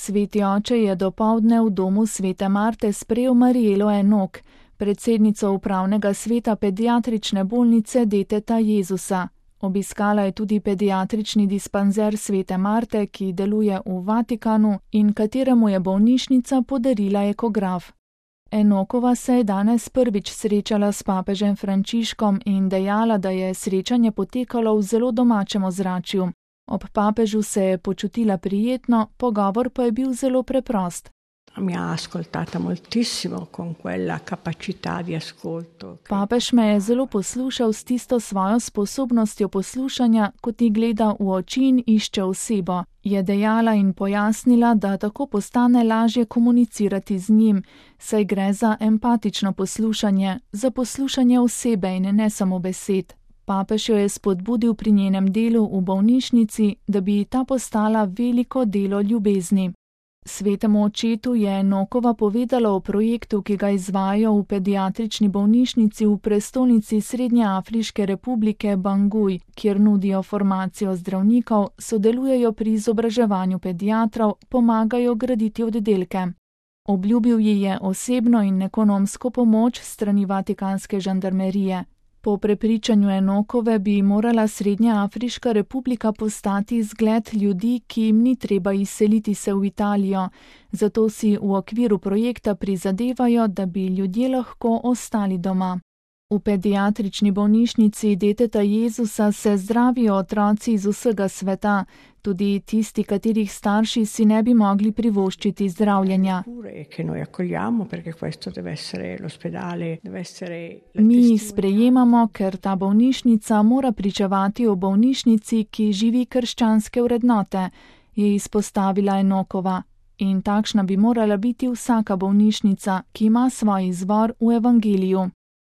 Sveti oče je dopoldne v domu svete Marte sprejel Marijelo Enok, predsednico upravnega sveta pediatrične bolnice Deteta Jezusa. Obiskala je tudi pediatrični dispanzer svete Marte, ki deluje v Vatikanu in kateremu je bolnišnica podarila ekograf. Enokova se je danes prvič srečala s papežem Frančiškom in dejala, da je srečanje potekalo v zelo domačem ozračju. Ob papežu se je počutila prijetno, pogovor pa je bil zelo preprost. Mi ha ascoltata moltissimo con quella capacità di ascolto. Papež me je zelo poslušal s tisto svojo sposobnostjo poslušanja, ko ti gleda v oči in išče osebo, je dejala in pojasnila, da tako postane lažje komunicirati z njim, saj gre za empatično poslušanje, za poslušanje osebe in ne samo besed. Papež jo je spodbudil pri njenem delu v bolnišnici, da bi ta postala veliko delo ljubezni. Svetemu očetu je Enokova povedala o projektu, ki ga izvajajo v pediatrični bolnišnici v prestolnici Srednjeafriške republike Bangui, kjer nudijo formacijo zdravnikov, sodelujejo pri izobraževanju pediatrov, pomagajo graditi oddelke. Obljubil ji je osebno in ekonomsko pomoč strani vatikanske žandarmerije. Po prepričanju Enokove bi morala Srednjeafriška republika postati zgled ljudi, ki jim ni treba izseliti se v Italijo, zato si v okviru projekta prizadevajo, da bi ljudje lahko ostali doma. V pediatrični bolnišnici Deteta Jezusa se zdravijo otroci iz vsega sveta, tudi tisti, katerih starši si ne bi mogli privoščiti zdravljenja. Mi jih sprejemamo, ker ta bolnišnica mora pričevati o bolnišnici, ki živi krščanske vrednote, je izpostavila Enokova. In takšna bi morala biti vsaka bolnišnica, ki ima svoj izvor v evangeliju.